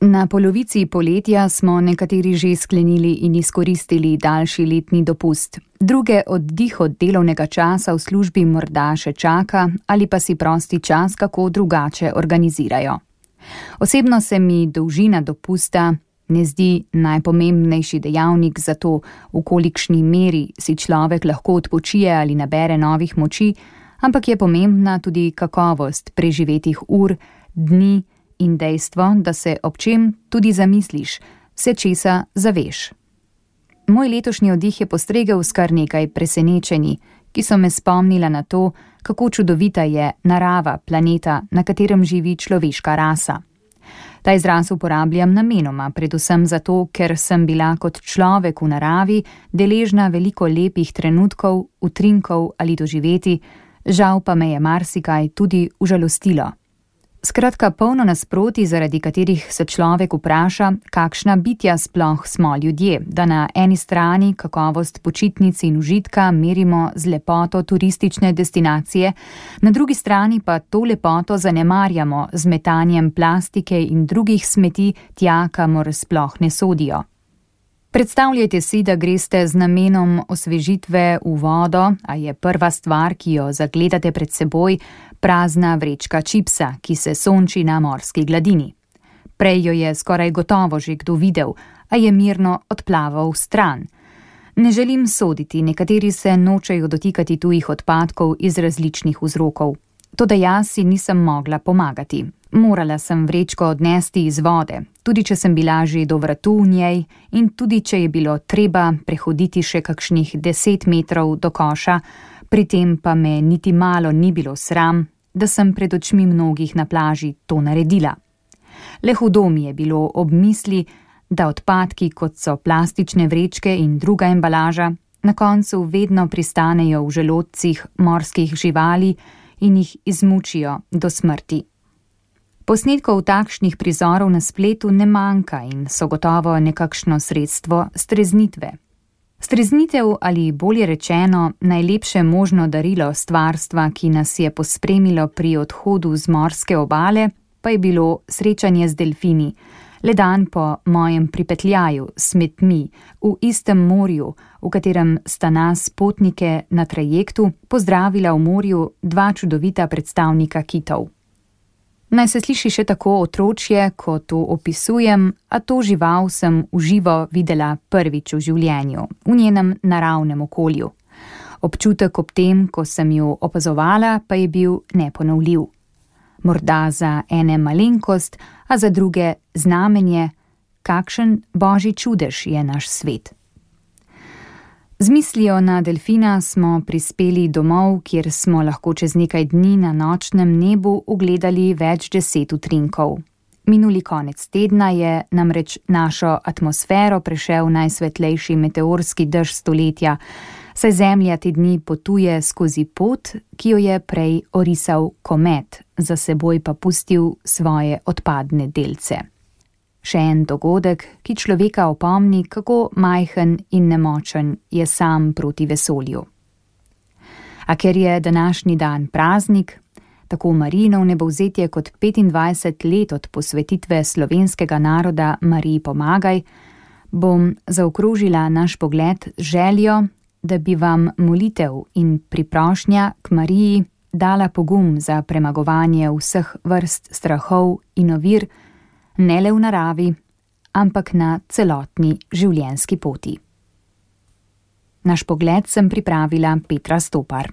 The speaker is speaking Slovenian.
Na polovici poletja smo nekateri že sklenili in izkoristili daljši letni dopust. Druge oddih od delovnega časa v službi morda še čaka ali pa si prosti čas kako drugače organizirajo. Osebno se mi dolžina dopusta ne zdi najpomembnejši dejavnik za to, v kolikšni meri si človek lahko odpočije ali nabere novih moči, ampak je pomembna tudi kakovost preživetih ur, dni in dejstvo, da se ob čem tudi zamisliš, se česa zaveš. Moj letošnji oddih je postregel s kar nekaj presenečenji, ki so me spomnila na to, kako čudovita je narava planeta, na katerem živi človeška rasa. Ta izraz uporabljam namenoma, predvsem zato, ker sem bila kot človek v naravi deležna veliko lepih trenutkov, utrinkov ali doživeti, žal pa me je marsikaj tudi užalostilo. Skratka, polno nasprotij, zaradi katerih se človek vpraša, kakšna bitja sploh smo ljudje, da na eni strani kakovost počitnic in užitka merimo z lepoto turistične destinacije, na drugi strani pa to lepoto zanemarjamo z metanjem plastike in drugih smeti tja, kamor sploh ne sodijo. Predstavljajte si, da greste z namenom osvežitve v vodo, a je prva stvar, ki jo zagledate pred seboj, prazna vrečka čipsa, ki se sonči na morski gladini. Prej jo je skoraj gotovo že kdo videl, a je mirno odplaval stran. Ne želim soditi, nekateri se nočejo dotikati tujih odpadkov iz različnih vzrokov. Toda jaz si nisem mogla pomagati. Morala sem vrečko odnesti iz vode, tudi če sem bila že do vratu v njej in tudi če je bilo treba prehoditi še kakšnih 10 metrov do koša, pri tem pa me niti malo ni bilo sram, da sem pred očmi mnogih na plaži to naredila. Le hudo mi je bilo ob misli, da odpadki, kot so plastične vrečke in druga embalaža, na koncu vedno pristanejo v želodcih morskih živali in jih izmučijo do smrti. Posnetkov takšnih prizorov na spletu ne manjka in so gotovo nekakšno sredstvo streznitve. Streznitev ali bolje rečeno najlepše možno darilo stvarstva, ki nas je pospremilo pri odhodu z morske obale, pa je bilo srečanje z delfini, le dan po mojem pripetljaju s smetmi v istem morju, v katerem sta nas potnike na trajektu pozdravila v morju dva čudovita predstavnika kitov. Naj se sliši še tako otročje, ko to opisujem, a to žival sem v živo videla prvič v življenju, v njenem naravnem okolju. Občutek ob tem, ko sem jo opazovala, pa je bil neponovljiv. Morda za ene malenkost, a za druge znamenje, kakšen božji čudež je naš svet. Z mislijo na delfina smo prispeli domov, kjer smo lahko čez nekaj dni na nočnem nebu ugledali več 10 utrinkov. Minuli konec tedna je namreč našo atmosfero prešel najsvetlejši meteorski dež stoletja, saj Zemlja te dni potuje skozi pot, ki jo je prej orisal komet, za seboj pa pustil svoje odpadne delce. Še en dogodek, ki človeka opomni, kako majhen in nemočen je sam proti vesolju. A ker je današnji dan praznik, tako Marijino vnebovzetje kot 25 let od posvetitve slovenskega naroda Mariji pomagaj, bom zaokrožila naš pogled z željo, da bi vam molitev in priprošnja k Mariji dala pogum za premagovanje vseh vrst strahov in ovir, ne le v naravi, ampak na celotni življenjski poti. Naš pogled sem pripravila Petra Stopar.